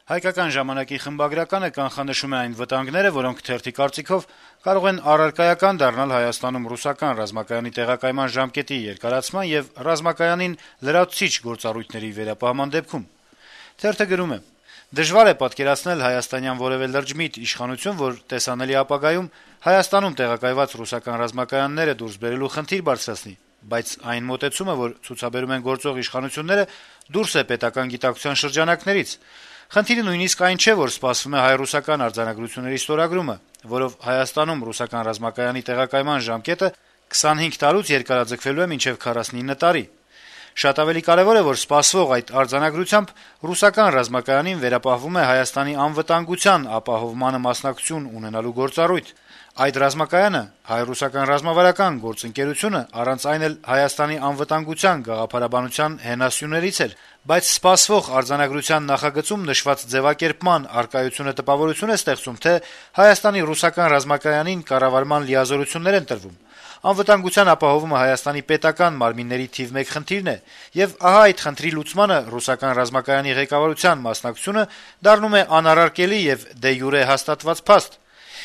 Հայկական ժամանակի խմբագրականը կանխանշում է այն վտանգները, որոնք թերթի կարծիքով կարող են առարկայական դառնալ Հայաստանում ռուսական ռազմակայանի տեղակայման ժամկետի երկարացման եւ ռազմակայանին լրացուցիչ գործառույթների վերապահման դեպքում։ Թերթը գրում է. «Դժվար է պատկերացնել հայաստանյան որևէ լրջմիտ իշխանություն, որ տեսանելի ապագայում Հայաստանում տեղակայված ռուսական ռազմակայանները դուրս բերելու խնդիր բարձրացնի, բայց այն մոտեցումը, որ ցուցաբերում են գործող իշխանությունները, դուրս է պետական գիտակցության շրջանակներից։ Խնդիրը նույնիսկ այն չէ, որ սպասվում է հայ-ռուսական արձանագրությունների ստորագրումը, որով Հայաստանում ռուսական ռազմակայանի տեղակայման ժամկետը 25 տարուց երկարաձգվելու է մինչեւ 49 տարի։ Շատ ավելի կարեւոր է, որ սպասվող այդ արձանագրությամբ ռուսական ռազմակայանին վերապահվում է Հայաստանի անվտանգության ապահովմանը մասնակցություն ունենալու գործառույթ։ Այդ ռազմակայանը հայ-ռուսական ռազմավարական գործընկերությունը առանց այն էլ Հայաստանի անվտանգության գաղափարաբանության հենասյուներից էր, բայց սպասվող արձանագրության նախագծում նշված ձևակերպման առկայությունը տպավորություն է ստեղծում, թե Հայաստանի ռուսական ռազմակայանին կառավարման լիազորություններ են տրվում։ Անվտանգության ապահովումը Հայաստանի պետական մարմինների թիվ 1 խնդիրն է, եւ ահա այդ խնդրի լուծմանը ռուսական ռազմակայանի ղեկավարության մասնակցությունը դառնում է անառարկելի եւ դե յուրե հաստատված փաստ։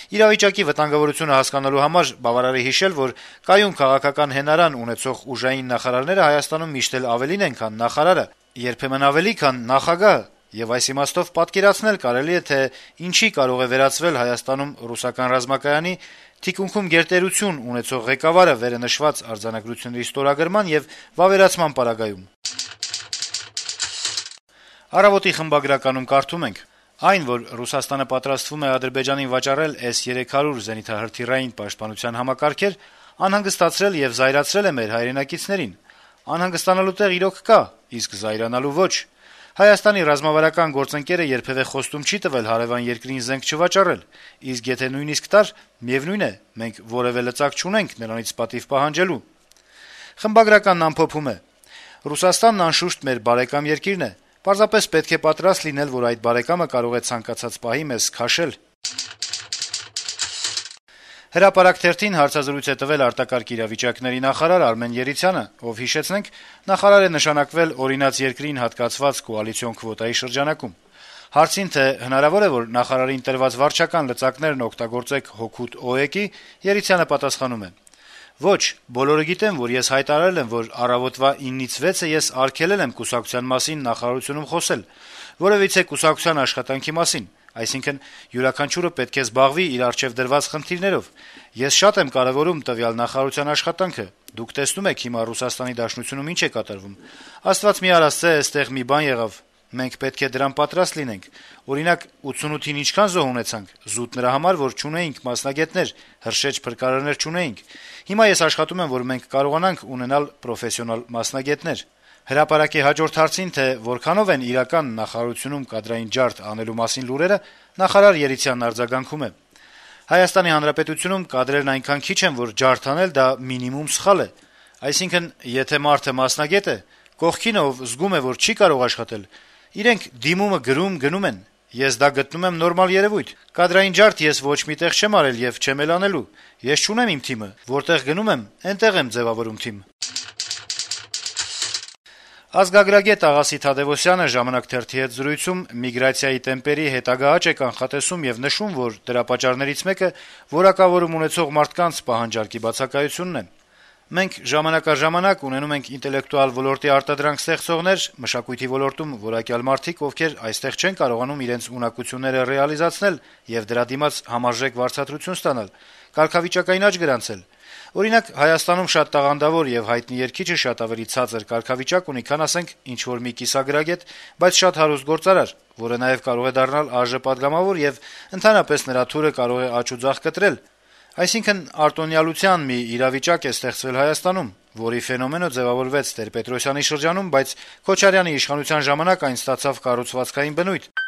Իրավիճակի վտանգավորությունը հասկանալու համար բավարար է հիշել, որ կայուն քաղաքական հենարան ունեցող ուժային նախարարները Հայաստանում միշտ էլ ավելին են, քան նախարարը, երբեմն ավելի, քան նախագահը, եւ այս իմաստով պատկերացնել կարելի է, թե ինչի կարող է վերածվել Հայաստանում ռուսական ռազմակայանի թիկունքում գերտերություն ունեցող ղեկավարը վերը նշված արձանագրությունների ստորագրման եւ վավերացման պարագայում։ Առավոտի խմբագրականում կարդում ենք. «Այն, որ Ռուսաստանը պատրաստվում է Ադրբեջանին վաճառել S-300 զենիթահրթիռային պաշտպանության համակարգեր, անհանգստացրել եւ զայրացրել է մեր հայրենակիցներին։ Անհանգստանալու տեղ իրոք կա, իսկ զայրանալու ոչ։ Հայաստանի ռազմավարական գործընկերը երբեւէ խոստում չի տվել հարեւան երկրին զենք չվաճառել, իսկ եթե նույնիսկ տար, միեւնույն է, մենք որեւէ լծակ չունենք նրանից պատիվ պահանջելու»։ Խմբագրականն ամփոփում է. «Ռուսաստանն անշուշտ մեր բարեկամ երկիրն է, պարզապես պետք է պատրաստ լինել, որ այդ բարեկամը կարող է ցանկացած պահի մեզ քաշել»։ Հրապարակ թերթին հարցազրույց է տվել արտակարգ իրավիճակների նախարար Արմեն Երիցյանը, ով, հիշեցնենք, նախարար է նշանակվել օրինաց երկրին հատկացված կոալիցիոն քվոտայի շրջանակում։ Հարցին, թե հնարավոր է, որ նախարարին տրված վարչական լծակներն օգտագործեք հօգուտ ՕԵԿ-ի, Երիցյանը պատասխանում է. «Ոչ, բոլորը գիտեն, որ ես հայտարարել եմ, որ առավոտվա 9-ից 6-ը ես արգելել եմ կուսակցության մասին նախարարությունում խոսել, որևիցե կուսակցության աշխատանքի մասին, այսինքն յուրաքանչյուրը պետք է զբաղվի իր առջև դրված խնդիրներով։ Ես շատ եմ կարեւորում տվյալ նախարարության աշխատանքը, դուք տեսնում եք հիմա Ռուսաստանի Դաշնությունում ինչ է կատարվում։ Աստված մի արասցե, այստեղ մի բան եղավ, մենք պետք է դրան պատրաստ լինենք։ Օրինակ 88-ին ինչքան զոհ ունեցանք, զուտ նրա համար, որ չունեինք մասնագետներ, հրշեջ փրկարարներ չունեինք։ Հիմա ես աշխատում եմ, որ մենք կարողանանք ունենալ պրոֆեսիոնալ մասնագետներ»։ Հրապարակի հաջորդ հարցին, թե որքանով են իրական նախարարությունում կադրային ջարդ անելու մասին լուրերը, նախարար Երիցյանն արձագանքում է. «Հայաստանի Հանրապետությունում կադրերն այնքան քիչ են, որ ջարդ անել դա մինիմում սխալ է։ Այսինքն, եթե մարդը մասնագետ է, կողքինը ով զգում է, որ չի կարող աշխատել, իրենք դիմումը գրում գնում են։ Ես դա գտնում եմ նորմալ երեւույթ։ Կադրային ջարդ ես ոչ միտեղ չեմ արել եւ չեմ էլ անելու։ Ես չունեմ իմ թիմը, որտեղ գնում եմ, այնտեղ եմ ձեւավորում թիմ»։ Ազգագրագետ Աղասի Թադեւոսյանը «Ժամանակ» թերթի հետ զրույցում միգրացիայի տեմպերի հետագա աճ է կանխատեսում եւ նշում, որ դրա պատճառներից մեկը որակավորում ունեցող մարդկանց պահանջարկի բացակայությունն է։ «Մենք ժամանակ առ ժամանակ ունենում ենք ինտելեկտուալ ոլորտի արտադրանք ստեղծողներ, մշակույթի ոլորտում որակյալ մարդիկ, ովքեր այստեղ չեն կարողանում իրենց ունակությունները ռեալիզացնել եւ դրա դիմաց համարժեք վարձատրություն ստանալ, կարգավիճակային աճ գրանցել։ Օրինակ, Հայաստանում շատ տաղանդավոր եւ հայտնի երգիչը շատ ավելի ցածր կարգավիճակ ունի, քան ասենք ինչ-որ մի կիսագրագետ, բայց շատ հարուստ գործարար, որը նաեւ կարող է դառնալ ԱԺ պատգամավոր եւ ընդհանրապես նրա թուրը կարող է աճ ու ձախ կտրել։ Այսինքն արտոնյալության մի իրավիճակ է ստեղծվել Հայաստանում, որի ֆենոմենը ձևավորվեց Տեր-Պետրոսյանի շրջանում, բայց Քոչարյանի իշխանության ժամանակ այն ստացավ կառուցվածքային բնույթ»։